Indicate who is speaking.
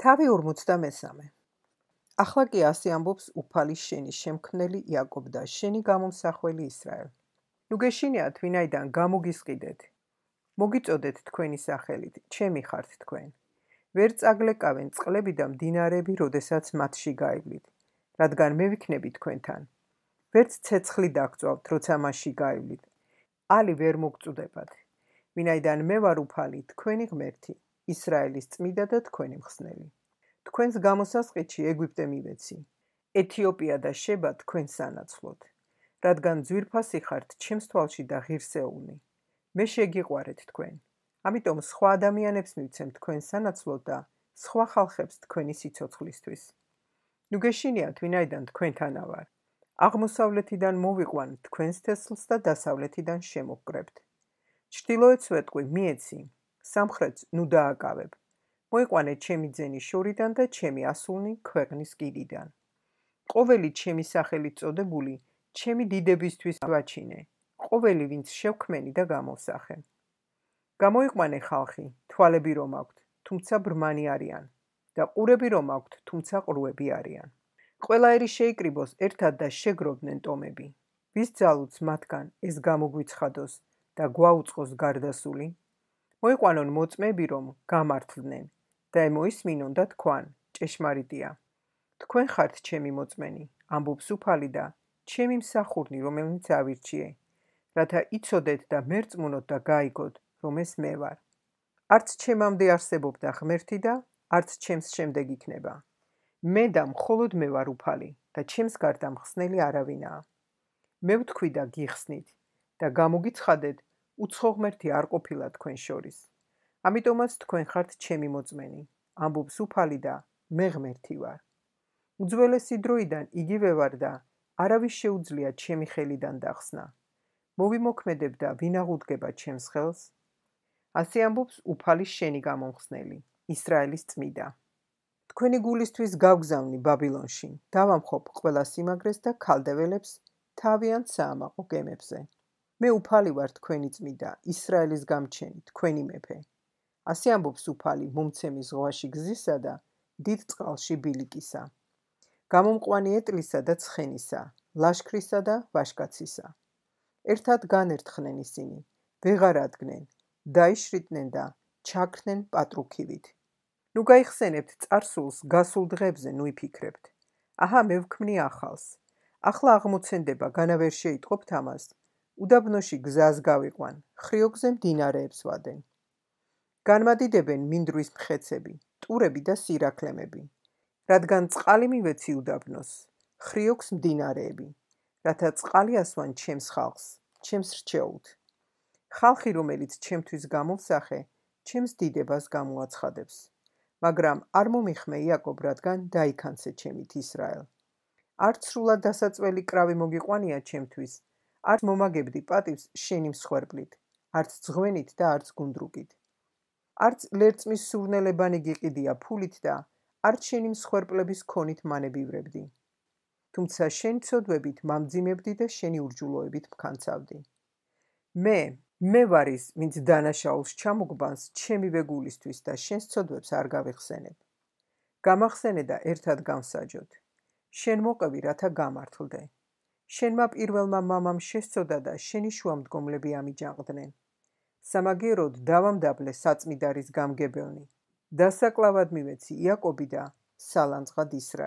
Speaker 1: თავი 53. ახლა კი ასე ამბობს უფალის შენის შემქმნელი იაკობ და შენი გამომსახველი ისრაელ. ნუ გეშინიათ, ვინაიდან გამოგისყიდეთ. მოგიწოდეთ თქვენი სახელით, ჩემი ხართ თქვენ. ვერ წაგლეკავენ წყლები და მდინარეები, როდესაც მათში გაივლით, რადგან მე ვიქნები თქვენთან. ვერც ცეცხლი დაგწვავთ, როცა მასში გაივლით. ალი ვერ მოგწუდებათ, ვინაიდან მე ვარ უფალი, თქვენი ღმერთი, ისრაელის წმიდა და თქვენი მხსნელი. თქვენს გამოსასყიდში ეგვიპტე მივეცი, ეთიოპია და შება თქვენ სანაცვლოდ, რადგან ძვირფასი ხართ ჩემს თვალში და ღირსეულნი. მე შეგიყვარეთ თქვენ, ამიტომ სხვა ადამიანებს მივცემ თქვენ სანაცვლოდ და სხვა ხალხებს თქვენი სიცოცხლისთვის. ნუ გეშინიათ, ვინაიდან თქვენთანა ვარ. აღმოსავლეთიდან მოვიყვან თქვენს თესლს და დასავლეთიდან შემოვკრებთ. ჩრდილოეთს ვეტყვი, მიეცი, სამხრეთს ნუ დააკავებ. მოიყვანე ჩემი ძენი შორიდან და ჩემი ასულნი ქვეყნის კიდიდან. ყოველი ჩემი სახელით წოდებული, ჩემი დიდებისთვის ვაჩინე, ყოველი ვინც შევქმენი და გამოვსახე. გამოიყვანე ხალხი, თვალები რომ აქვთ, თუმცა ბრმანი არიან და ყურები რომ აქვთ, თუმცა ყრუები არიან. ყველაერი შეიკრიბოს ერთად და შეგროვდნენ ტომები. ვის ძალუც მათგან ეს გამოგვიცხადოს და გვაუწყოს გარდასული? მოიყვანონ მოწმეები რომ გამართლდნენ და მოისმინონ და თქვან, ჭეშმარიტია. თქვენ ხართ ჩემი მოწმენი, ამბობს უფალი და ჩემი მსახურნი, რომელნიც ავირჩიე, რათა იცოდეთ და მერწმუნოთ და გაიგოთ, რომ ეს მე ვარ. არც ჩემამდე არსებობდა ღმერთი და არც ჩემს შემდეგ იქნება. მე და მხოლოდ მე ვარ უფალი და ჩემს გარდა მხსნელი არავინაა. მე ვთქვი და გიხსნით და გამოგიცხადეთ, უცხო ღმერთი არ ყოფილა თქვენ შორის. ამიტომაც თქვენ ხართ ჩემი მოწმენი, ამბობს უფალი და მე ღმერთი ვარ. უძველესი დროიდან იგივე ვარ და არავის შეუძლია ჩემი ხელიდან დახსნა. მოვიმოქმედებ და ვინ აღუდგება ჩემს ხელს? ასე ამბობს უფალის შენი გამომხსნელი, ისრაელის წმიდა. თქვენი გულისთვის გავგზავნი ბაბილონში, დავამხობ ყველა სიმაგრეს და ქალდეველებს თავიანთ საამაყო გემებზე. მე უფალი ვარ თქვენი წმიდა, ისრაელის გამჩენი, თქვენი მეფე. ასე ამბობს უფალი მომცემი ზღვაში გზისა და დიდ წყალში ბილიკისა. გამომყვანი ეტლისა და ცხენისა, ლაშქრისა და ვაშკაცისა. ერთად განერთხნენ ისინი, ვეღარ ადგნენ, დაიშრიტნენ და ჩაქრნენ პატრუქივით. ნუ გაიხსენებთ წარსულს, გასულ დღებზე ნუ იფიქრებთ. აჰა, მე ვქმნი ახალს. ახლა აღმოცენდება, განა ვერ შეიტყობთ ამას. უდაბნოში გზას გავიყვან, ხრიოკზე მდინარეებს ვადენ. განმადიდებენ მინდვრის მხეცები, ტურები და სირაქლემები. რადგან წყალი მივეცი უდაბნოს, ხრიოკს მდინარეები, რათა წყალი ასვან ჩემს ხალხს, ჩემს რჩეულთ. ხალხი, რომელიც ჩემთვის გამოვსახე, ჩემს დიდებას გამოაცხადებს. მაგრამ არ მომიხმე იაკობ, რადგან დაიქანცე ჩემით ისრაელ. არც სრულად დასაწველი კრავი მოგიყვანია ჩემთვის, არც მომაგებდი პატივს შენი მსხვერპლით, არც ძღვენით და არც გუნდრუკით. არც ლერწმის სურნელებანი გიყიდია ფულით და არც შენი მსხვერპლების ქონით მანებივრებდი. თუმცა შენი ცოდვებით მამძიმებდი და შენი ურჯულოებით მქანცავდი. მე ვარ ის, ვინც დანაშაულს ჩამოგბანს ჩემივე გულისთვის და შენს ცოდვებს არ გავიხსენებ. გამახსენე და ერთად გავსაჯოთ. შენ მოყევი, რათა გამართლდე. შენმა პირველმა მამამ შესწოდა და შენი შუამდგომლები ამიჯანყდნენ. სამაგიეროდ დავამდაბლე საწმიდარის გამგებელნი. დასაკლავად მივეცი იაკობი და სალანძღად ისრაელი.